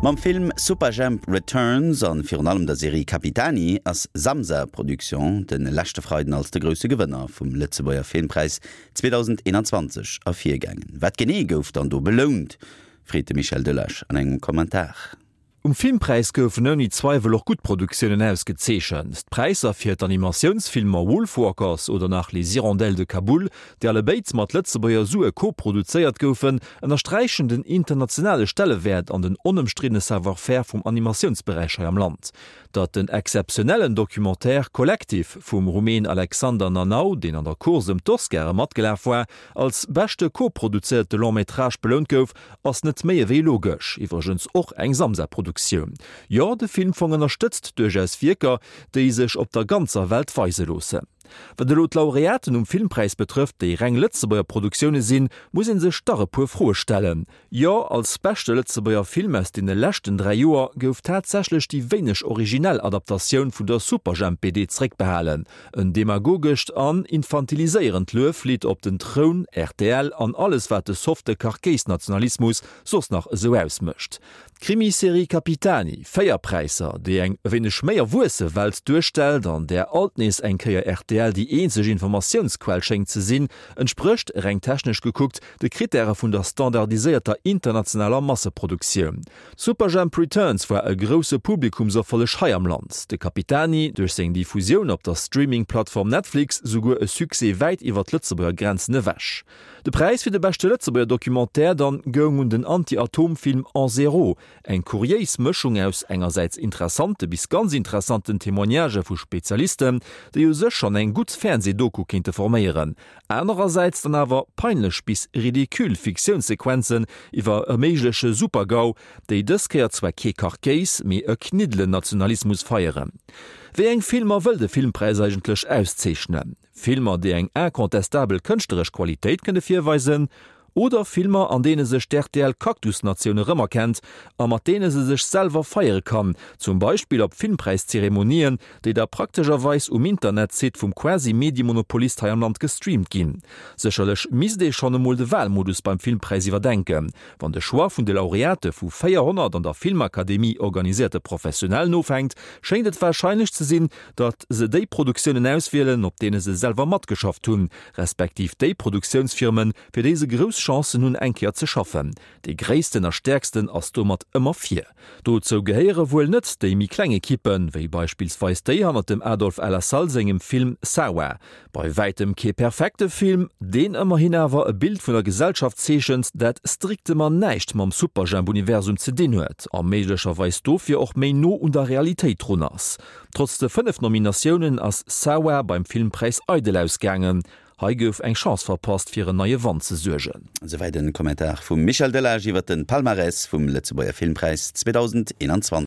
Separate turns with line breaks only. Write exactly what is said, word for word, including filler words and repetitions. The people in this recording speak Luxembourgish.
Mam Film Superjhemp Returns an virun allem der Serie Capitani ass Samsa Production de leschte Freiden als de grousse Gewënner vum Lëtzebuerger Filmpräis zweedausendeenanzwanzeg ervirgaangen. Wat genee gouf dann do belount, freet de Michel Delage an engem Kommentar.
Um Filmpräis goufen ouni Zweiwel och gutt Produktiounen ausgezeechent. D'Präisser fir d'Animatiounsfilmer Wolfwalkers oder nach Les Hirondelles de Kaboul, déi allebéid mat Lëtzebuerger Sue koproduzéiert goufen, ënnersträichen den internationale Stellewäert an den onëmstriddene Savoir-faire vum Animatiounsberäich hei am Land. Datt den exzeptionellen Documentaire Collectif vum Rumän Alexander Nanau, deen an der Course ëm d'Oscare matgelaf war, als beschte koproduzéierte Long-métrage belount gouf, ass net méi ewéi logesch, iwwregens och eng Samsa-Produktioun. Jo, de Filmfong ënnerstëtzt duerchaus Wierker, déi sech op der ganzer Welt weise loossen. Wat elo d'Laureaten um Filmpräis betrëfft, déi reng Lëtzebuerger Produktioune sinn, muss ee sech dach e puer Froe stellen. Jo, als beschte Lëtzebuerger Film aus deene leschten dräi Joer gouf tatsächlech déi wéineg originell Adaptatioun vun der Superjhemp-B D zeréckbehalen, en demagogescht an infantiliséierend Lueflidd op den Troun, R T L an alles wat de softe Karkéis-Nationalismus soss nach esou ausmécht. D'Krimiserie Capitani, véier Präisser, déi eng e wéineg méi erwuesse Welt duerstellt, an där alt nees eng Kéier R T L déi eenzeg Informatiounsquell schéngt ze sinn, entsprécht, reng technesch gekuckt, de Krittäre vun der standardiséierter internationaler Masseproduktioun. Superjhemp Returns war e grousse Publikumserfolleg hei am Land, de Capitani, duerch seng Diffusioun op der Streaming-Plattform Netflix, souguer e Succès wäit iwwer d'Lëtzebuerger Grenzen ewech. De Präis fir de beschte Lëtzebuerger Documentaire dann goung un den Anti-Atom-Film An Zéro, eng kuriéis Mëschung aus engersäits interessante bis ganz interessanten Témoignagë vu Spezialisten, déi u sech schonn eng gutt Fernseh-Doku kéinte forméieren, anerersäits dann awer peinlech bis ridicule Fiktiounssequenzen iwwer e méigleche Super-GAU, déi dës Kéier zwar kee Karkéis, mee e Kniddelen-Nationalismus feieren. Wéi eng Filmer wëll de Filmpräis eigentlech auszeechnen? Filmer, déi eng incontestabel kënschtleresch Qualitéit kënne virweisen, oder Filmer, an deene sech d'R T L-Kaktusnatioun erëmerkennt a mat deene se sech selwer feiere kann, zum Beispill op Filmpräiszeremonien, déi da praktescherweis um Internetsite vum Quasi-Mediemonopolist hei am Land gestreamt ginn. Sécherlech misst ee schonn emol de Walmodus beim Filmpräis iwwerdenken. Wann de Choix vun de Laureate vu véierhonnert an der Filmakademie organiséierte Professionellen ofhänkt, schéngt et warscheinlech ze sinn, datt se déi Produktiounen auswielen, op deene se selwer matgeschafft hunn, respektiv déi Produktiounsfirmen, fir déi se grouss Chancen hunn eng Kéier ze schaffen. Dee gréissten a stäerksten ass domat ëmmer vir. Dozou gehéiere wuel net déi méi kleng Ekippen, wéi beispillsweis déi hannert dem Adolf El Assal sengem Film Sawa. Bei wäitem kee perfekte Film, deen ëmmerhin awer e Bild vun der Gesellschaft zeechent, dat strictement näischt mam Superjhemp-Universum ze dinn huet a méiglecherweis dofir och méi no un der Realitéit drun ass. Trotz de fënnef Nominatiounen ass Sawa beim Filmpräis eidel ausgaangen. Hei gouf eng Chance verpasst, fir en neie Wand ze suergen.
Souwäit de Kommentar vum Michel Delage iwwer de Palmarès vum Lëtzebuerger Filmpräis zweedausendeenanzwanzeg.